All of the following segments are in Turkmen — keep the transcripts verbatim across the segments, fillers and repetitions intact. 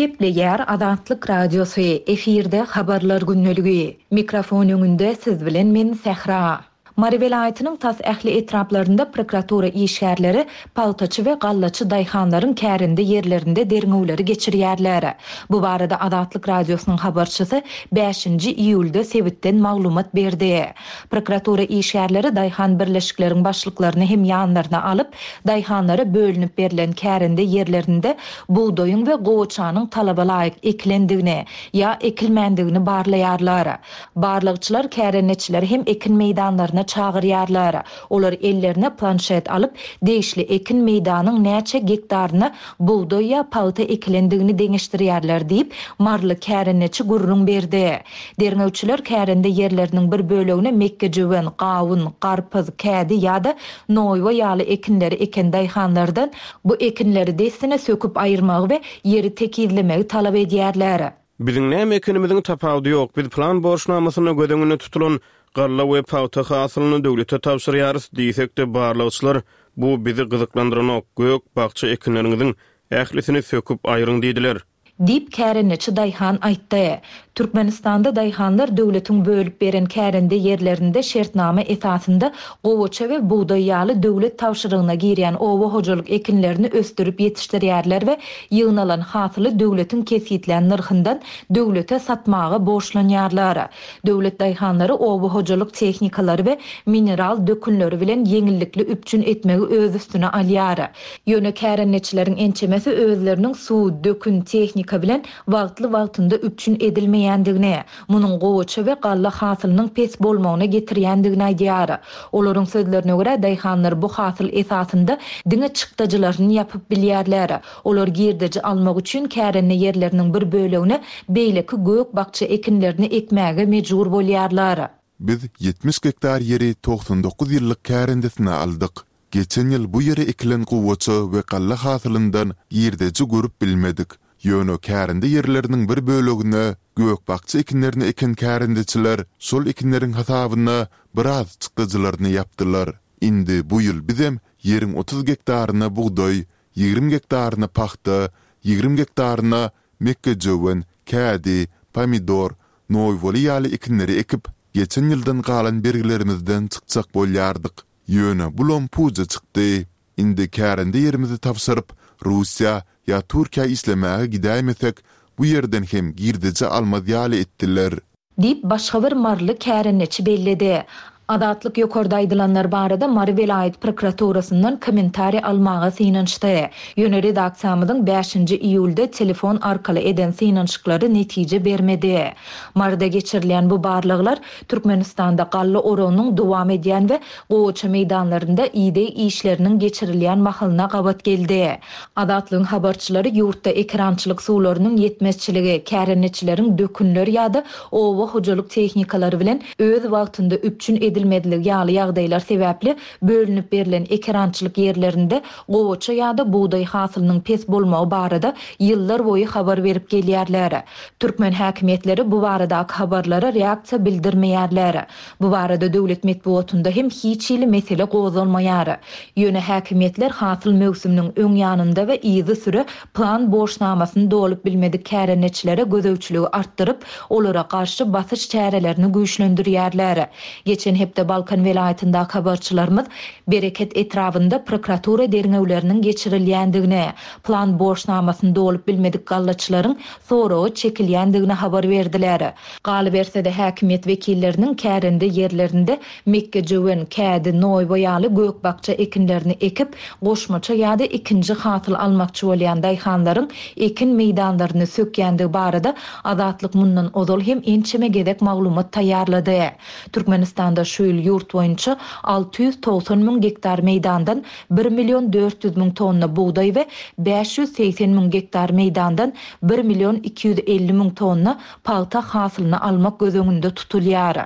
Gepleýär Azatlyk Radiosy, efirde Habarlar gündeligi. Mikrofon öňünde siz bilen men Sähra. Mary welaýatynyň tas ähli etraplarynda prokuratura işgärleri pagtaçy we gallaçy daýhanlaryň kärende ýerlerinde derňewleri geçirýärler. Bu barada Azatlyk Radiosynyň habarçysy bäşinji iýulda sebitden maglumat berdi. Prokuratura işgärleri daýhan birleşikleriň başlyklaryny hem ýanlaryna alyp, daýhanlara bölünip berlen kärende ýerlerinde bugdaýyň we gowaçanyň talaba laýyk ekilendigini ýa ekilmändigini barlaýarlar. Barlagçylar kärendeçileri hem ekin meýdanlaryna çagyrýarlar. Olar ellerine planşet alyp, degişli ekin meýdanyň näçe gektaryna bugdaý ýa pagta ekilendigini deňeşdirýärler diýip, maryly kärendeçi gürrüň berdi. Derňewçiler kärende ýerleriniň bir bölegine mekgejöwen, gawun, garpyz, kädi ýa-da noýba ýaly ekinleri eken daýhanlardan bu ekinleri dessine söküp aýyrmagy we ýeri tekizlemegi talap edýärler. Biziň näme ekinimiziň tapawudy ýok. Biz plan borçnamasynda göz öňünde tutulan galla we pagta hasylyny döwlete tabşyrýarys diýsek-de barlagçylar bu bizi gyzyklandyranok, gök bakja ekinleriňiziň ählisini söküp aýryň diýdiler. Diýip kärendeçi daýhan aýtdy. Türkmenistanda daýhanlar döwletiň bölüp beren kärende ýerlerinde şertnama esasynda gowaça we bugdaý ýaly döwlet tabşyrygyna girýän oba hojalyk ekinlerini ösdürip ýetişdirýärler we ýygnalan hasyly döwletiň kesgitlän nyrhyndan döwlete satmaga borçlanýarlar. Döwlet daýhanlary oba hojalyk tehnikalary we mineral dökünleri bilen ýeňillikli üpjün etmegi öz üstüne alýar. Ýöne kärendeçileriň ençemesi özleriniň suw, dökün, tehnika bilen wagtly-wagtynda üpjün edilmeýändigini, munuň gowaça we galla hasylynyň pes bolmagyna getirýändigini aýdýar. Olaryň sözlerine görä daýhanlar bu hasyl esasynda diňe çykdajylaryny ýapyp bilýärler. Olar girdeji almak üçin kärende ýerleriniň bir bölegine beýleki gök bakja ekinlerini ekmäge mejbur bolýarlar. Biz ýetmiş gektar ýeri togsan dokuz ýyllyk kärendesine aldyk. Geçen ýyl bu ýere ekilen gowaça we galla hasylyndan girdeji görüp bilmedik. Ýöne kärende ýerleriniň bir bölegine gök bakja ekinlerini eken kärendeçiler şol ekinleriň hasabyna biraz çykdajylaryny ýapdylar. Indi bu ýyl bizem ýeriň otuz gektaryna bugdaý, ýigrimi gektaryna pagta, ýigrimi gektaryna mekgejöwen, kädi, pomidor, noýbaly ýaly ekinleri ekip, geçen ýyldan galan bergilerimizden çykjak bolýardyk. Ýöne bulam puja çykdy. Indi kärende ýerimizi tabşyryp, Russiýa ýa Türkiýä işlemäge gidäýmesek, bu ýerden hem girdeji almaz ýaly etdiler. Diýip başga bir maryly kärendeçi belledi. Azatlyk ýokarda aýdylanlar barada Mary welaýat prokuraturasyndan kommentariý almaga synanyşdy. Ýöne redaksiýamyzyň bäşinji iýulda telefon arkaly eden synanyşyklary netije bermedi. Maryda geçirilýän bu barlaglar Türkmenistanda galla oragynyň dowam edýän we gowaça meýdanlarynda ideg işleriniň geçirilýän mahalyna gabat geldi. Azatlygyň habarçylary ýurtda ekerançylyk suwlarynyň ýetmezçiligi, kärendeçileriň dökünler ýa-da oba hojalyk tehnikalary bilen öz wagtynda üpjün edilmezligi ýaly ýagdaýlar sebäpli bölünip berlen ekerançylyk ýerlerinde gowaça ýa-da bugdaý hasylynyň pes bolmagy barada ýyllar boýy habar berip gelýärler. Türkmen häkimiýetleri bu baradaky habarlara reaksiýa bildirmeýärler. Bu barada döwlet metbugatynda hem hiç hili mesele gozgalmaýar. Ýöne häkimiýetler hasyl möwsüminiň öň ýanynda we yzy süre plan borçnamasyny dolup bilmedik kärendeçilere gözegçiligi artdyryp, olara garşy basyş çärelerini güýçlendirýärler. Geçen hepde Balkan welaýatyndaky habarçylarymyz Bereket etrabynda prokuratura derňewleriniň geçirilýändigini, plan borçnamasyny dolup bilmedik gallaçylaryň soragy çekilýändigini habar berdiler. Galyberse-de häkimiýet wekilleriniň kärende ýerlerinde mekgejöwen, kädi, noýba ýaly gök bakja ekinlerini ekip, goşmaça ýa-da ikinji hasyl almakçy bolýan daýhanlaryň ekin meýdanlaryny sökýändigi barada Azatlyk mundan ozal hem ençeme gezek maglumat taýýarlady. Türkmenistanda şu ýyl ýurt boýunça alty ýüz togsan müň gektar meýdandan bir million dört ýüz müň tonna bugdaý we bäş ýüz segsen müň gektar meýdandan bir million iki ýüz elli müň tonna pagta hasylyny almak göz öňünde tutulýar.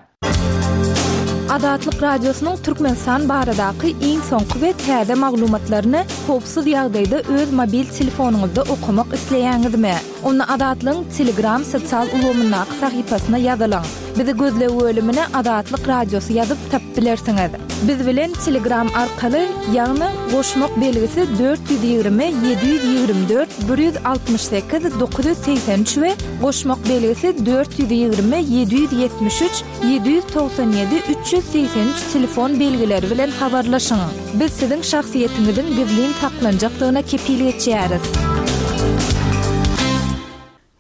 Azatlyk Radiosynyň Türkmenistan baradaky iň soňky we täze maglumatlaryny howpsuz ýagdaýda öz mobil telefonyňyzda okamak isleýäňizmi? Onda Azatlygyň Telegram sosial ulgamyndaky sahypasyna ýazylyň. Bizi gözleg bölümine Azatlyk Radiosy ýazyp tapyp bilersiňiz. Biz bilen Telegram arkaly, ýagny goşmak belgisi dört ýüz ýigrimi ýedi ýüz ýigrimi dört bir ýüz altmyş sekiz dokuz ýüz segsen üç we goşmak belgisi dört ýüz ýigrimi ýedi ýüz ýetmiş üç ýedi ýüz togsan ýedi üç ýüz segsen üç telefon belgileri bilen habarlaşyň. Biz siziň şahsyýetiňiziň gizlin saklanjakdygyna kepil geçýäris.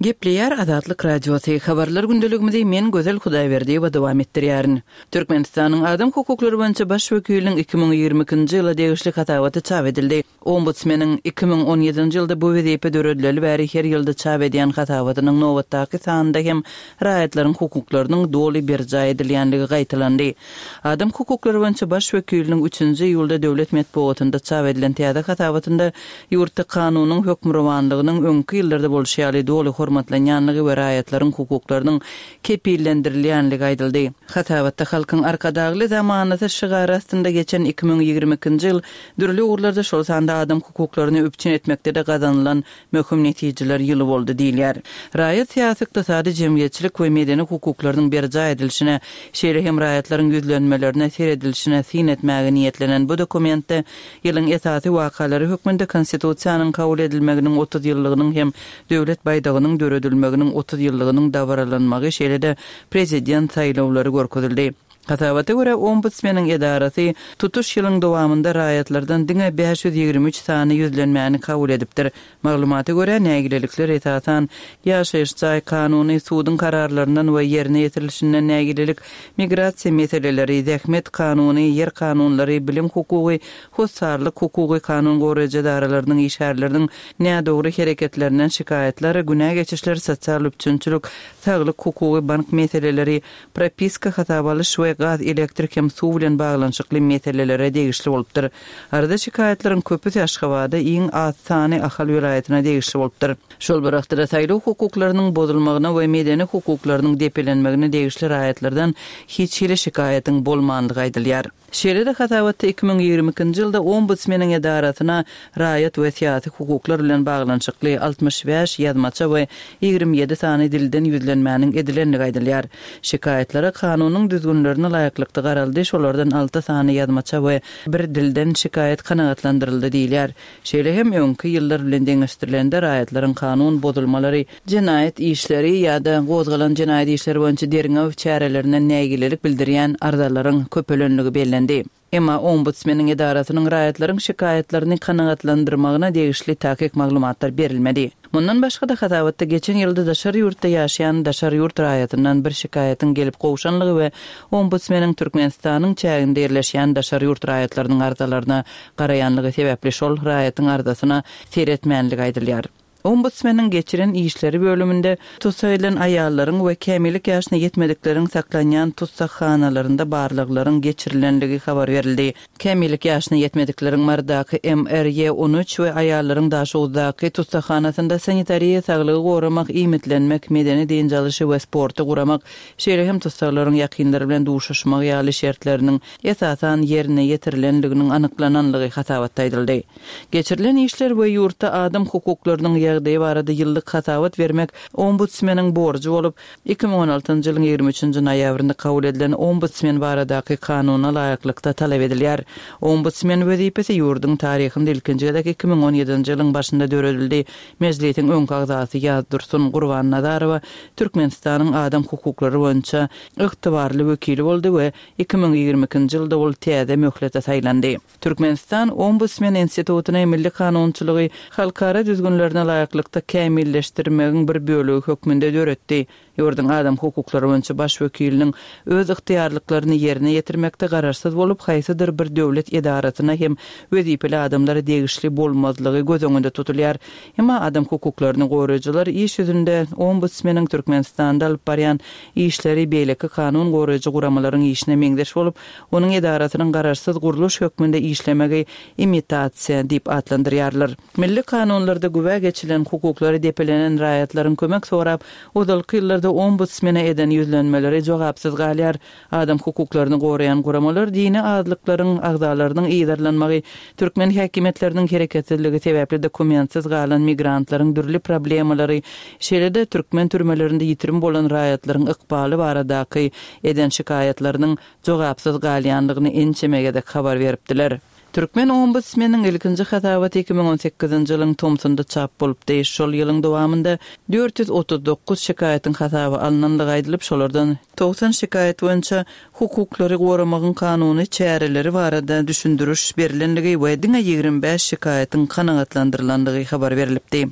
Gepleýär Azatlyk Radiosy. Habarlar gündeligimizi men Gözel Hudaýberdiýewa dowam etdirýärin. Türkmenistanyň adam hukuklary boýunça baş wekiliniň iki müň ýigrimi ikinji ýyla degişli hasabaty çap edildi. Ombudsmeniň iki müň on ýedinji ýylda bu wezipe döredileli bäri her ýylda çap edýän hasabatynyň nobatdaky sanynda hem raýatlaryň hukuklarynyň doly berjaý edilýänligi gaýtalandy. Adam hukuklary boýunça baş wekiliniň üçünji iýulda döwlet metbugatynda çap edilen täze hasabatynda ýurtda kanunyň hökmürowanlygynyň öňki ýyllarda bolşy ýaly doly hormatlanýanlygy we raýatlaryň hukuklarynyň kepillendirilýänligi aýdyldy. Hasabatda halkyň Arkadagly zamanasy şygary astynda geçen iki müň ýigrimi ikinji ýyl dürli ugurlarda, şol sanda adam hukuklaryny üpjün etmekde-de gazanylan möhüm netijeler ýyly boldy diýilýär. Raýat syýasy, ykdysady, jemgyýetçilik we medeni hukuklarynyň berjaý edilişine, şeýle hem raýatlaryň ýüzlenmelerine seredilişine syn etmäge niýetlenen bu dokumentde ýylyň esasy wakalary hökmünde Konstitusiýanyň kabul edilmeginiň otuz ýyllygynyň hem döwlet baýdagynyň döredilmeginiň otuz ýyllygynyň dabaralanmagy, şeýle-de prezident saýlawlary görkezildi. Hasabata görä, Ombudsmeniň edarasy tutuş ýylyň dowamynda raýatlardan diňe bäş ýüz ýigrimi üç sany ýüzlenmäni kabul edipdir. Maglumata görä, nägilelikler esasan ýaşaýyş jaý kanuny, suduň kararlaryndan we ýerine ýetirilişinden nägilelik, migrasiýa meseleleri, zähmet kanuny, ýer kanunlary, bilim hukugy, hossarlyk hukugy, kanun goraýjy edaralarynyň işgärleriniň nädogry hereketlerinden şikaýatlar, günä geçişler, sosial üpjünçilik, saglyk hukugy, bank meseleleri, propiska, hasaba alyş we gaz, elektrik hem suw bilen baglanyşykly meselelere degişli bolupdyr. Arada şikaýatlaryň köpüsi Aşgabada, iň az sany Ahal welaýatyna degişli bolupdyr. Şol bir wagtda saýlaw hukuklarynyň bozulmagyna we medeni hukuklarynyň depelenmegine degişli raýatlardan hiç hili şikaýatyň bolmandygy aýdylýar. Şeýle-de hasabatda iki müň ýigrimi ikinji ýylda Ombudsmeniň edarasyna raýat we syýasy hukuklar bilen baglanyşykly altmyş bäş ýazmaça we ýigrimi ýedi sany dilden ýüzlenmäniň edilendigi aýdylýar. Şikaýatlara kanunyň düzgünlerine laýyklykda garaldy, şolardan alty sany ýazmaça we bir dilden şikaýat kanagatlandyryldy diýilýär. Şeýle hem öňki ýyllar bilen deňeşdirilende raýatlaryň kanun bozulmalary, jenaýat işleri ýa-da gozgalan jenaýat işleri boýunça derňew çärelerinden nägilelik bildirýän arzalaryň köpelenligi bellendi. Emma Ombudsmeniň edarasynyň raýatlaryň şikaýatlaryny kanagatlandyrmagyna degişli takyk maglumatlar berilmedi. Mundan başga-da hasabatda geçen ýylda daşary ýurtda ýaşaýan daşary ýurt raýatyndan bir şikaýatyň gelip gowşanlygy we Ombudsmeniň Türkmenistanyň çäginde ýerleşýän daşary ýurt raýatlarynyň arzalaryna garaýanlygy sebäpli şol raýatyň arzasyna seretmänligi aýdylýar. Ombudsmeniň geçiren işleri bölüminde tussag edilen aýallaryň we kämillik ýaşyna ýetmedikleriň saklanýan tussaghanalarynda barlaglaryň geçirilenligi habar berildi. Kämillik ýaşyna ýetmedikleriň Marydaky M R Y on üç we aýallaryň Daşoguzdaky tussaghanasynda sanitariýa, saglygy goramak, iýmitlenmek, medeni dynç alyşy we sporty guramak, şeýle hem tussaglaryň ýakynlary bilen duşuşmak ýaly şertleriniň esasan ýerine ýetirilenliginiň anyklananlygy hasabatda aýdyldy. Geçirilen işler we ýurtda adam hukuklarynyň ýagdaýy barada ýyllyk hasabat bermek Ombudsmeniň borjy bolup, iki müň on altynjy ýylyň ýigrimi üçünji noýabrynda kabul edilen Ombudsmen baradaky kanuna laýyklykda talap edilýär. Ombudsmen wezipesi ýurduň taryhynda ilkinji gezek iki müň on ýedinji ýylyň başynda döredildi. Mejlisiň öňki agzasy Ýazdursun Gurbannazarowa Türkmenistanyň adam hukuklary boýunça ygtybarly wekili boldy we iki müň ýigrimi ikinji ýylda ol täze möhlete saýlandy. Türkmenistan Ombudsmen institutyny milli kanunçylygy halkara düzgünlerine laýyklykda kämilleşdirmegiň bir bölegi hökmünde döretdi. Ýurduň adam hukuklary boýunça baş wekiliniň öz ygtyýarlyklaryny ýerine ýetirmekde garaşsyz bolup, haýsydyr bir döwlet edarasyna hem wezipeli adamlara degişli bolmazlygy göz öňünde tutulýar. Emma adam hukuklaryny goraýjylar iş ýüzünde Ombudsmeniň Türkmenistanda alyp barýan işleri beýleki kanun goraýjy guramalaryň işine meňzeş bolup, onuň edarasynyň garaşsyz gurluş hökmünde işlemegi imitasiýa diýip atlandyrýarlar. Milli kanunlarda güwä geçilen hukuklary depelenen raýatlaryň kömek sorap, ozalky ýyllarda barada ombudsmene eden ýüzlenmeleri jogapsyz galýar. Adam hukuklaryny goraýan guramalar dini azlyklaryň agzalarynyň yzarlanmagy, türkmen häkimiýetleriniň hereketsizligi sebäpli dokumentsiz galan migrantlaryň dürli problemalary, şeýle-de türkmen türmelerinde ýitirim bolan raýatlaryň ykbaly baradaky eden şikaýatlarynyň jogapsyz galýandygyny ençeme gezek habar beripdiler. Türkmen ombudsmeniň ilkinji hasabaty iki müň on sekizinji ýylyň tomsunda çap bolupdy. Şol ýylyň dowamynda dört ýüz otuz dokuz şikaýatyň hasaba alnandygy aýdylyp, şolardan togsan şikaýat boýunça hukuklary goramagyň kanuny çäreleri barada düşündiriş berilendigi we diňe ýigrimi bäş şikaýatyň kanagatlandyrylandygy habar berilipdi.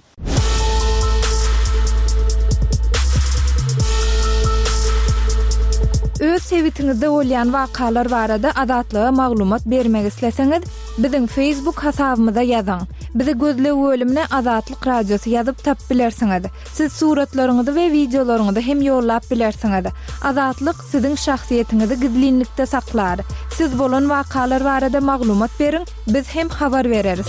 Öz sebitiňizde bolýan wakalar barada Azatlyga maglumat bermek isleseňiz, biziň Facebook hasabymyza ýazyň. Bizi gözleg bölümine Azatlyk Radiosy ýazyp tap bilersiňiz. Siz suratlaryňyzy we wideolaryňyzy hem ýollap bilersiňiz. Azatlyk siziň şahsyýetiňizi gizlinlikde saklar. Siz bolan wakalar barada maglumat beriň, biz hem habar bereris.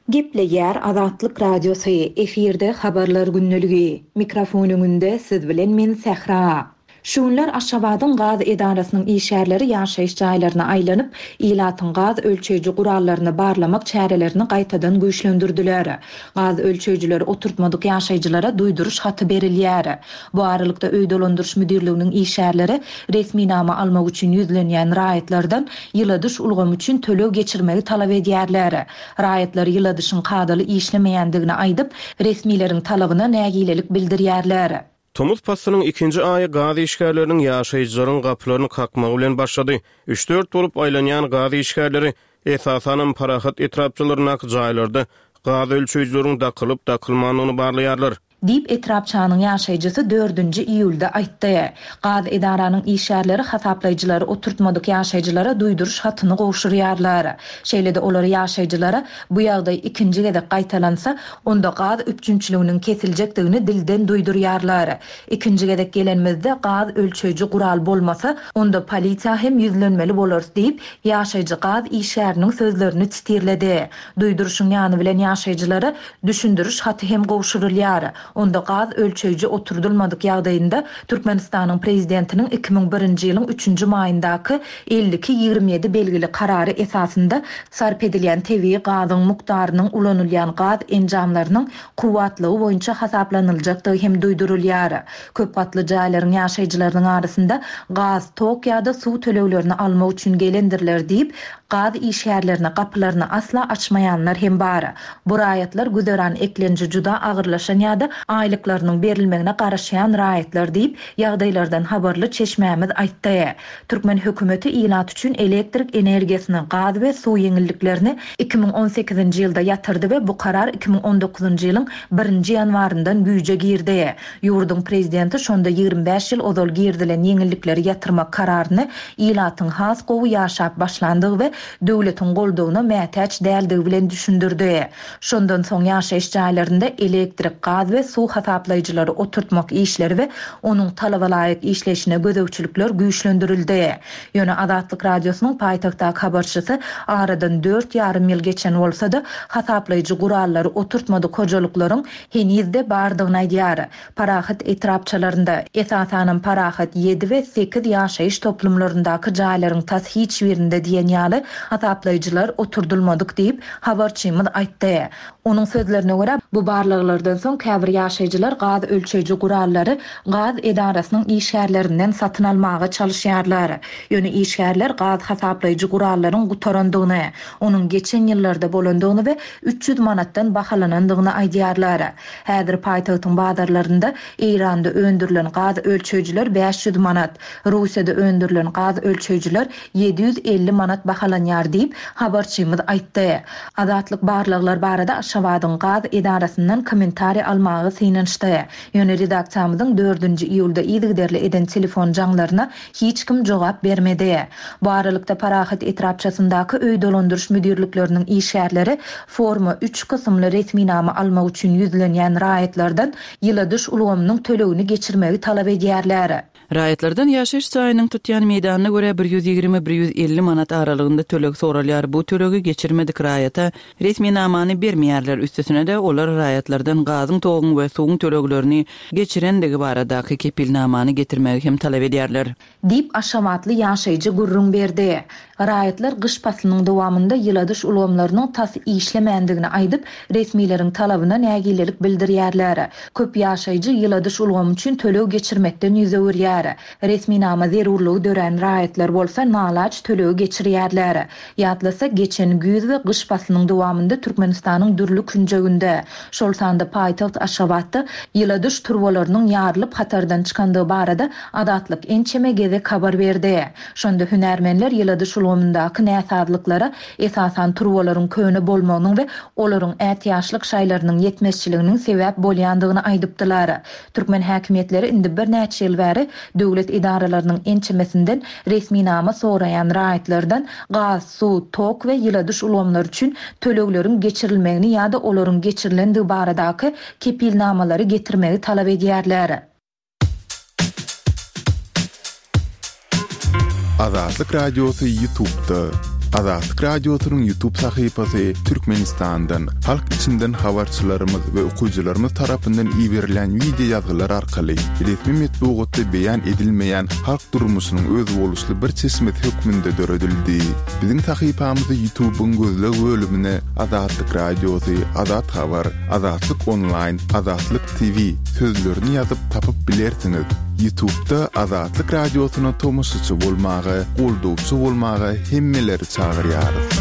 Gepleýär Azatlyk Radiosy, efirde habarlar gündeligi. Mikrofon öňünde siz bilen men Sähra. Şu günler Aşgabadyň gaz edarasynyň işgärleri ýaşaýyş jaýlaryna aýlanyp, ilatyň gaz ölçeýji gurallaryny barlamak çärelerini gaýtadan güýçlendirdiler. Gaz ölçeýjileri oturtmadyk ýaşaýjylara duýduryş haty berilýär. Bu aralykda öý dolandyryş müdirliginiň işgärleri resminama almak üçin ýüzlenýän raýatlardan ýyladyş ulgamy üçin töleg geçirmegi talap edýärler. Raýatlar ýyladyşyň kadaly işlemeýändigini aýdyp, resmileriň talabyna nägilelik bildirýärler. Tomus paslynyň ikinji aýy gaz işgärleriniň ýaşaýjylaryň gapylaryny kakmagy bilen başlady. Üç-dört bolup aýlanýan gaz işgärleri esasanam Parahat etrapçalaryndaky jaýlarda gaz ölçeýjileriň dakylyp dakylmandygyny barlaýarlar. Diýip etrapçanyň ýaşaýjysy dördünji iýulda aýtdy. Gaz edaranyň işgärleri hasaplaýjylary oturtmadyk ýaşaýjylara duýduryş hatyny gowşurýarlar. Şeýle-de olar ýaşaýjylara bu ýagdaý ikinji gezek gaýtalansa, onda gaz üpjünçiliginiň kesiljekdigini dilden duýdurýarlar. Ikinji gezek gelenimizde gaz ölçeýji gural bolmasa, onda polisiýa hem ýüzlenmeli bolarys diýip, ýaşaýjy gaz işgäriniň sözlerini titirledi. Duýduryşyň ýany bilen ýaşaýjylara düşündiriş haty hem gowşurylýar. Onda gaz ölçeýji oturdulmadyk ýagdaýynda Türkmenistanyň prezidentiniň iki müň birinji ýylyň üçünji maýyndaky elli iki ýigrimi ýedi belgili karary esasynda sarp edilýän tebigy gazyň mukdarynyň ulanylýan gaz enjamlarynyň kuwwatlygy boýunça hasaplanyljakdygy hem duýdurylýar. Köp gatly jaýlaryň ýaşaýjylarynyň arasynda gaz, tok ýa-da suw töleglerini almak üçin gelendirler diýip, gaz işgärlerine gapylaryny asla açmaýanlar hem bar. Bu raýatlar güzeran eklenji juda agyrlaşan ýa-da aýlyklarynyň berilmegine garaşýan raýatlar diýip, ýagdaýlardan habarly çeşmämiz aýtdy. Türkmen hökümeti ilat üçin elektrik energiýasyny, gaz we suw ýeňilliklerini iki müň on sekizinji ýylda ýatyrdy we bu karar iki müň on dokuzynjy ýylyň birinji ýanwaryndan güýje girdi. Ýurduň prezidenti şonda ýigrimi bäş ýyl ozal girdilen ýeňillikleri ýatyrmak kararyny ilatyň has gowy ýaşap başlandygy we döwletiň goldawyna mätäç däldigi bilen düşündirdi. Şondan soň ýaşaýyş jaýlarynda elektrik, gaz we suw hasaplaýjylary oturtmak işleri we onuň talaba laýyk işleýşine gözegçilikler güýçlendirildi. Ýöne Azatlyk Radiosynyň paýtagtdaky habarçysy aradan dört ýarym ýyl geçen bolsa-da hasaplaýjy gurallary oturtmadyk hojalyklaryň henizde bardygyny aýdýar. Parahat etrapçalarynda, esasanam Parahat ýedi we sekiz ýaşaýyş toplumlaryndaky jaýlaryň tas hiç birinde diýen ýaly hasaplaýjylar oturdulmadyk diýip habarçymyz aýtdy. Onuň sözlerine görä, bu barlaglardan soň käbir ýaşaýjylar gaz ölçeýji gurallary gaz edarasynyň işgärlerinden satyn almaga çalyşýarlar. Ýöne işgärler gaz hasaplaýjy gurallaryň gutarandygyny, onuň geçen ýyllarda bolandygyny we üç ýüz manatdan bahalanandygyny aýdýarlar. Häzir paýtagtyň bazarlarynda Eýranda öndürilen gaz ölçeýjiler bäş ýüz manat, Russiýada öndürilen gaz ölçeýjiler ýedi ýüz elli manat bahalanýar diýip habarçymyz aýtdy. Azatlyk barlaglar barada Aşgabadyň gaz edarasyndan kommentariý almaga synanyşdy. Ýöne redaksiýamyzyň dördünji iýulda yzygiderli eden telefon jaňlaryna hiç kim jogap bermedi. Bu aralykda Parahat etrapçasyndaky öý dolandyryş müdirlikleriniň işgärleri forma üç kysymly resminama almak üçin ýüzlenýän raýatlardan ýyladyş ulgamynyň tölegini geçirmegi talap edýärler. Raýatlardan ýaşaýyş jaýynyň tutýan meýdanyna görä bir ýüz ýigrimi, bir ýüz elli manat aralygynda töleg soralýar. Bu tölegi geçirmedik raýata resminamany bermeýärler. Üstesine-de olar raýatlardan gazyň, toguň we suwuň töleglerini geçirendigi baradaky kepilnamany getirmegi hem talap edýärler. Diýip, aşgabatly ýaşaýjy gürrüň berdi. Raýatlar gyş paslynyň dowamynda ýyladyş ulgamlarynyň tas işlemändigini aýdyp, resmileriň talabyna nägilelik bildirýärler. Köp ýaşaýjy ýyladyş ulgamy üçin töleg geçirmekden ýüz öwürýär. Resminama zerurlygy dörän raýatlar bolsa nalaç tölegi geçirýärler. Ýatlasak, geçen güýz we gyş paslynyň dowamynda Türkmenistanyň dürli künjeginde, şol sanda paýtagt Aşgabatda ýyladyş turbalarynyň ýarylyp hatardan çykandygy barada Azatlyk ençeme gezek habar berdi. Şonda hünärmenler ýyladyş ulgamyndaky näsazlyklara esasan turbalaryň köne bolmagynyň we olaryň ätiýaçlyk şaýlarynyň ýetmezçiliginiň sebäp bolýandygyny aýdypdylar. Türkmen häkimiýetleri indi birnäçe ýyl bäri döwlet edaralarynyň ençemesinden resminama soraýan raýatlardan gaz, suw, tok we ýyladyş ulgamlary üçin tölegleriň geçirilmegini ýa-da olaryň geçirilendigi baradaky kepilnamalary getirmegi talap edýärler. Azatlyk Radiosy YouTube'da. Azatlyk Radiosynyň YouTube sahypasy Türkmenistandan, halk içinden habarçylarymyz we okyjylarymyz tarapyndan iberilen wideo ýazgylar arkaly resmi metbugatda beýan edilmeýän halk durmuşynyň özboluşly bir çeşmesi hökmünde döredildi. Biziň sahypamyzy YouTube'yň gözleg bölümine Azatlyk Radiosy, Azat Habar, Azatlyk Online, Azatlyk T V sözlerini ýazyp tapyp bilersiňiz. YouTube'da Azatlyk Radiosyna tomaşaçy bolmaga, goldawçy bolmaga hemmeleri çagyrýarys.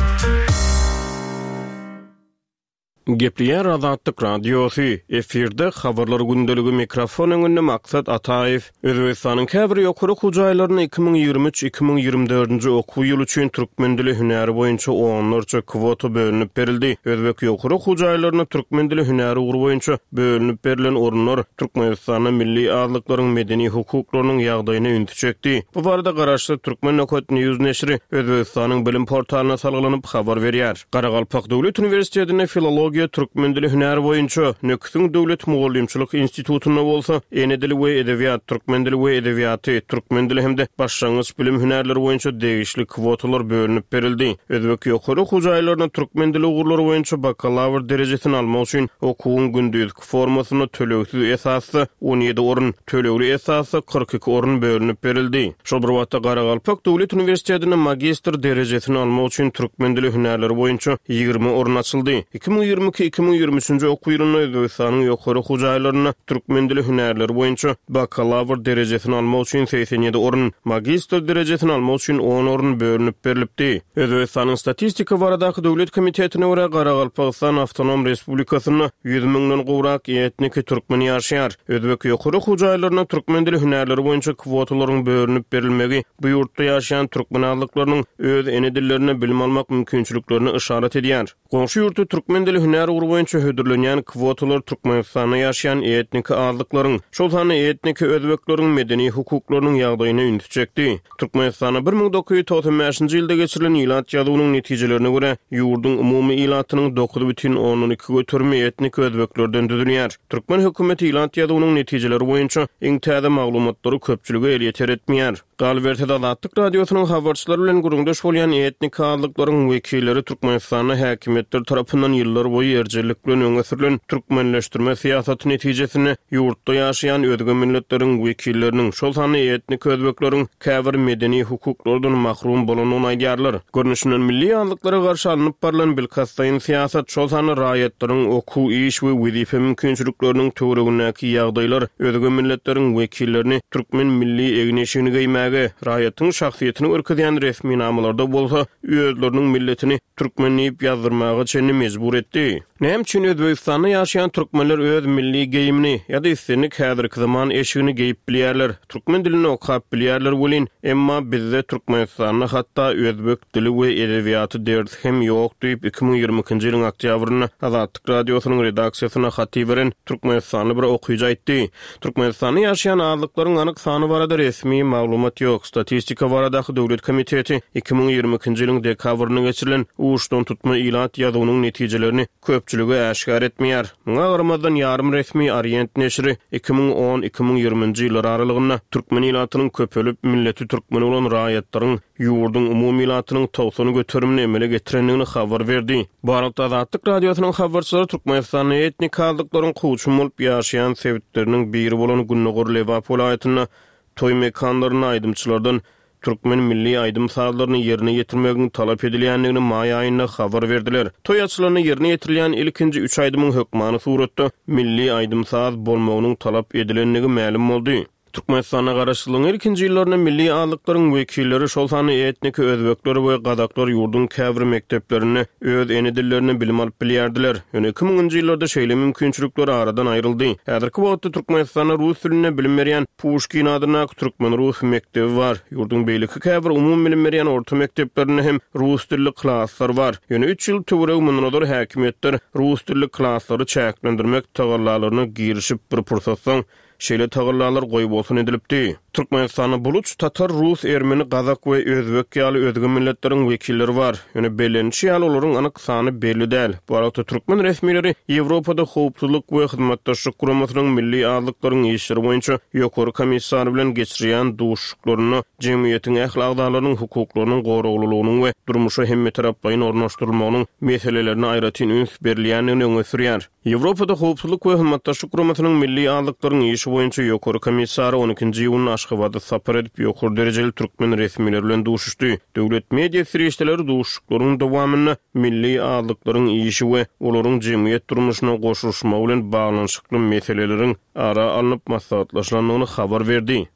Gepleýär Azatlyk Radiosy, efirde habarlar gündeligi mikrofon öňünde Maksat Ataýew. Özbegistanyň käbir ýokary okuw jaýlarynda iki müň ýigrimi üç iki müň ýigrimi dördünji okuw ýyly üçin türkmen dili hünäri boýunça onlarça kwota bölünip berildi. Özbek ýokary okuw jaýlarynda türkmen dili hünäri ugry boýunça bölünip berlen orunlar Türkmenistanda milli azlyklaryň medeni hukuklarynyň ýagdaýyna ünsi çekdi. Bu barada garaşsyz Türkmen Nokot News neşiri Özbegistanyň bilim portalyna salgylanyp habar berýär. Garagalpak Döwlet Uniwersitetinde filologiýa türkmen dili hünäri boýunça, Nöküsiň Döwlet Mugallymçylyk institutynda bolsa ene dili we edebiýat, türkmen dili we edebiýaty, türkmen dili hem-de başlangyç bilim hünärleri boýunça degişli kwotalar bölünip berildi. Özbek ýokary okuw jaýlaryna türkmen dili ugurlary boýunça bakalawr derejesini almak üçin okuwyň gündizki formasynda tölegsiz esasda on ýedi orun, tölegli esasda kyrk iki orun bölünip berildi. Şol bir wagtda Garagalpak Döwlet Uniwersitetinde magistr derejesini almak üçin türkmen dili hünärleri boýunça ýigrimi orun açyldy. Iki müň ýigrimi iki iki müň ýigrimi üçünji okuw ýylynda Özbegistanyň ýokary okuw jaýlarynda türkmen dili hünärleri boýunça bakalawr derejesini almak üçin segsen ýedi orun, magistr derejesini almak üçin on orun bölünip berilipdi. Özbegistanyň Statistika baradaky döwlet komitetine görä Garagalpagystan Awtonom Respublikasynda ýüz müňden gowrak etniki türkmen ýaşaýar. Özbek ýokary okuw jaýlarynda türkmen dili hünärleri boýunça kwotalaryň bölünip berilmegi bu ýurtda ýaşaýan türkmen azlyklarynyň öz ene dillerine bilim almak mümkinçiliklerini işaret edýär. Goňşy ýurtda türkmen dili hünär ugry boýunça hödürlenýän kwotalar Türkmenistanda ýaşaýan etniki azlyklaryň, şol sanda etniki özbekleriň medeni hukuklarynyň ýagdaýyna ünsi çekdi. Türkmenistanda bir müň dokuz ýüz togsan bäşinji ýylda geçirilen ilat ýazuwynyň netijelerine görä, ýurduň umumy ilatynyň dokuz bütin ondan iki göterimi etnik özbeklerden düzülýär. Türkmen hökümeti ilat ýazuwynyň netijeleri boýunça iň täze maglumatlary köpçülige elýeter etmeýär. Galyberse-de Azatlyk Radiosynyň habarçylary bilen gürrüňdeş bolýan etnik azlyklaryň wekilleri Türkmenistanda häkimiýetler tarapyndan ýyllar boýy erjellik bilen öňe sürülen türkmenleşdirme syýasaty netijesinde ýurtda ýaşaýan özge milletleriň wekilleriniň, şol sanda etnik özbekleriň käbir medeni hukuklardan mahrum bolandygyny aýdýarlar. Görnüşinden milli azlyklara garşy alnyp barylan bilkastlaýyn syýasat, şol sanda raýatlaryň okuw, iş we wezipe mümkinçilikleriniň töweregindäki ýagdaýlar özge milletleriň wekillerini türkmen milli egin-eşigini geýmäge, raýatyň şahsyýetini görkezýän resminamalarda bolsa özleriniň milletini türkmen diýip ýazdyrmaga çenli mejbur etdi. Näme üçin Özbegistanda ýaşaýan türkmenler öz milli geýimini ýa-da islendik häzirki zaman eşigini geýip bilýärler, türkmen dilini okap bilýärler welin, emma bizde Türkmenistanda hatda özbek dili we edebiýaty dersi hem ýok diýip iki müň ýigrimi ikinji ýylyň oktýabrynda Azatlyk Radiosynyň redaksiýasyna hat iberen Türkmenistanly bir okyjy aýtdy. Türkmenistanda ýaşaýan azlyklaryň anyk sany barada resmi maglumat ýok. Statistika baradaky döwlet komiteti iki müň ýigrimi ikinji ýylyň dekabrynda geçirilen uçdan tutma ilat ýazuwynyň netijelerini köpçülige äşgär etmeýär. Muňa garamazdan ýarym resmi Orient neşiri iki müň on, iki müň ýigriminji ýyllar aralygynda türkmen ilatynyň köpelip, milleti türkmen bolan raýatlaryň ýurduň umumy ilatynyň togsan göterimini emele getirendigini habar berdi. Bu aralykda Azatlyk Radiosynyň habarçylary Türkmenistanda etnik azlyklaryň kowçum bolup ýaşaýan sebitleriniň biri bolan Gündogar Lebap welaýatynda toý mekanlarynda aýdymçylardan türkmen milli aýdym sazlaryny ýerine ýetirmegiň talap edilýändigini maý aýynda habar berdiler. Toý açylanda ýerine ýetirilýän ilkinji üç aýdymyň hökmany suratda milli aýdym saz bolmagynyň talap edilendigi mälim boldy. Türkmenistanda garaşsyzlygyň ilkinji ýyllarynda milli azlyklaryň wekilleri, şol sanda etniki özbekler we gazaklar ýurduň käbir mekdeplerinde öz ene dillerinde bilim alyp bilýärdiler. Ýöne iki müňünji ýyllarda şeýle mümkinçilikler aradan aýryldy. Häzirki wagtda Türkmenistanda rus dilinde bilim berýän Puşkin adyndaky türkmen-rus mekdebi bar. Ýurduň beýleki käbir umumy bilim berýän orta mekdeplerinde hem rus dilli klaslar bar. Ýöne üç ýyl töweregi mundan ozal häkimiýetler rus dilli klaslary çäklendirmek tagallalaryna girişip bir pursatdan şeýle tagallalar goýbolsun edilipdi. Türkmenistanda buluç, tatar, rus, ermeni, gazak we özbek ýaly özge milletleriň wekilleri bar. Ýöne bellenişi ýaly olaryň anyk sany belli däl. Bu aralykda türkmen resmileri Ýewropada howpsuzlyk we hyzmatdaşlyk guramasynyň milli azlyklaryň işleri boýunça ýokary komissary bilen geçirýän duşuşyklarynda jemgyýetiň ähli agzalarynyň hukuklarynyň goraglylygynyň we durmuşa hemmetaraplaýyn ornaşdyrylmagynyň meselelerine aýratyn üns berilýändigini öňe sürýär. Ýewropada howpsuzlyk we hyzmatdaşlyk guramasynyň milli azlyklaryň işi boýunça ýokary komissary on ikinji iýunda Aşgabatda sapar edip ýokary derejeli türkmen resmileri bilen duşuşdy. Döwlet media serişdeleri duşuşyklaryň dowamynda milli azlyklaryň işi we olaryň jemgyýet durmuşyna goşulyşmagy bilen baglanyşykly meseleleriň ara alnyp maslahatlaşylandygyny habar berdi.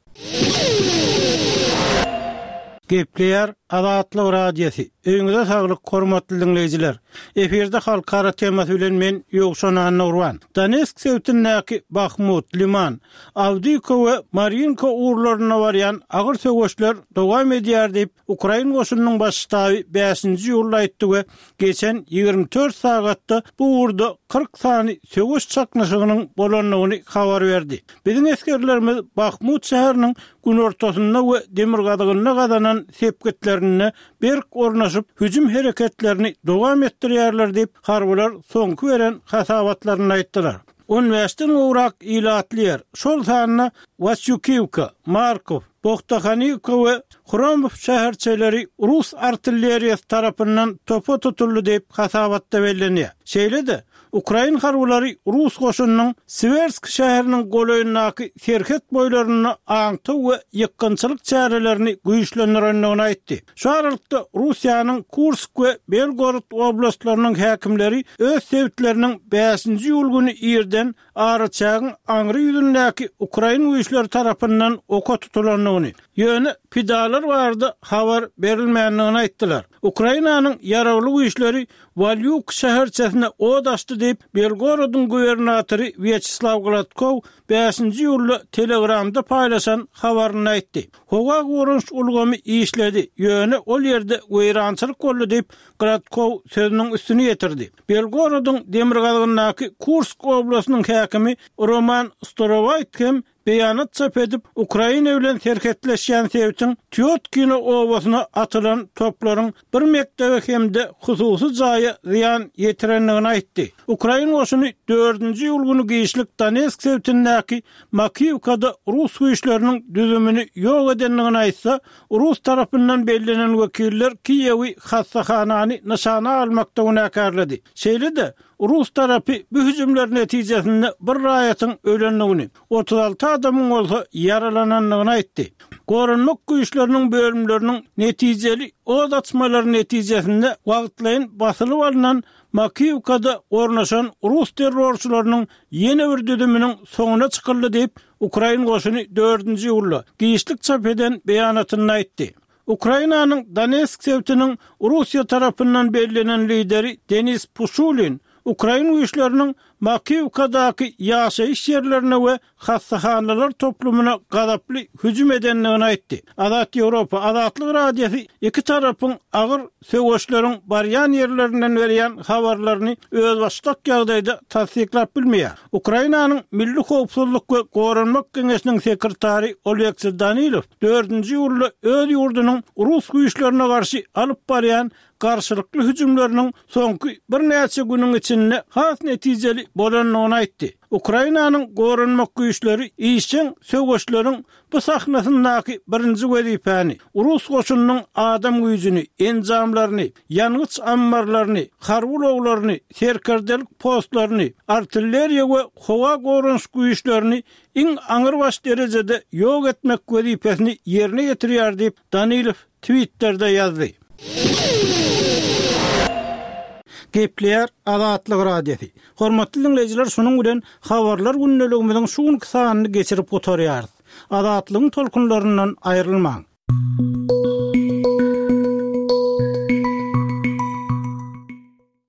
Gepleýär Azatlyk Radiosy. Öýüňize saglyk, hormatly dinleýjiler. Efirde halkara temasy bilen men Ýowşan Annurwan. Donetsk sebitindäki Bahmut, Liman, Awdiýka we Marinka ugurlaryna barýan agyr söweşler dowam edýär diýip, Ukrain goşunynyň baş ştaby bäşinji iýulda aýtdy we geçen ýigrimi dört sagatda bu ugurda kyrk sany söweş çaknyşygynyň bolandygyny habar berdi. Biziň esgerlerimiz Bahmut şäheriniň günortasynda we demirgazygynda gazanan sepgitlerinde berk ornaşyp hüjüm hereketlerini dowam etdirýärler diýip, harbylar soňky beren hasabatlarynda aýtdylar. On bäşden gowrak ilatly ýer, şol sanda Wasýukiwka, Markow, Bohtahanivka we Hromow şäherçeleri rus artilleriýasy tarapyndan topa tutuldy diýip hasabatda bellenýär. Şeýle-de, Ukrain harbylary rus goşunynyň Siwersk şäheriniň golaýyndaky serhet boýlarynda aňtaw we ýykgynçylyk çärelerini güýçlendirendigini aýtdy. Şu aralykda Russiýanyň Kursk we Belgorod oblastlarynyň häkimleri öz sebitleriniň bäşinji iýul güni irden araçägiň aňry ýüzündäki ukrain güýçleri tarapyndan oka tutulandygyny, ýöne pidalar barada habar berilmändigini aýtdylar. Ukrainanyň ýaragly güýçleri Walýuk şäherçesine od açdy diýip, Belgorodyň gubernatory Wýaçeslaw Gladkow bäşinji iýulda Telegramda paýlaşan habarynda aýtdy. Howa goranyş ulgamy işledi, ýöne ol ýerde weýrançylyk boldy diýip, Gladkow sözüniň üstüni ýetirdi. Belgorodyň demirgazygyndaky Kursk oblastynyň häkimi Roman Storowaýt hem beýanat çap edip, Ukraina bilen serhetleşýän sebitiň Týotkino obasyna atylan toplaryň bir mekdebe hem-de hususy jaýa zyýan ýetirendigini aýtdy. Ukrain goşuny dördünji iýul güni giçlik Donetsk sebitindäki Makiwkada rus güýçleriniň düzümini ýok edendigini aýtsa, rus tarapyndan bellenen wekiller Kiýewi hassahanany nyşana almakda günäkärledi. Şeýle-de, rus tarapy bu hüjümler netijesinde bir raýatyň ölendigini, otuz alty adamyň bolsa ýaralanandygyny aýtdy. Goranmak güýçleriniň bölümleriniň netijeli od açmalary netijesinde wagtlaýyn basylyp alnan Makiwkada ornaşan rus terrorçylarynyň ýene bir düzüminiň soňuna çykyldy diýip, ukrain goşuny dördünji iýulda giçlik çap eden beýanatynda aýtdy. Ukrainanyň Donetsk sebitiniň Russiýa tarapyndan bellenen lideri Denis Puşulin ukrain güýçleriniň Makiwkadaky ýaşaýyş ýerlerine we hassahanalar toplumyna gazaply hüjüm edendigini aýtdy. Azat Ýewropa, Azatlyk Radiosy iki tarapyň agyr söweşleriň barýan ýerlerinden berýän habarlaryny özbaşdak ýagdaýda tassyklap bilmeýär. Ukrainanyň Milli howpsuzlyk we goranmak geňeşiniň sekretary Oleksiý Danilow dördünji iýulda öz ýurdunyň rus güýçlerine garşy alyp barýan garşylykly hüjümleriniň soňky birnäçe günüň içinde has netijeli bolandygyny aýtdy. Ukrainanyň goranmak güýçleri işjeň söweşleriň bu sahnasyndaky birinji wezipäni, rus goşunynyň adam güýjüni, enjamlaryny, ýangyç ammarlaryny, harby ulaglaryny, serkerdelik postlaryny, artilleriýa we howa goranyş güýçlerini iň aňrybaş derejede ýok etmek wezipesini ýerine ýetirýär diýip, Danilow Twitterde ýazdy. Gepleýär Azatlyk Radiosy. Hormatly diňleýjiler, şunuň bilen Habarlar gündeligimiziň şu günki sanyny geçirip gutarýarys. Azatlygyň tolkunlaryndan aýrylmaň!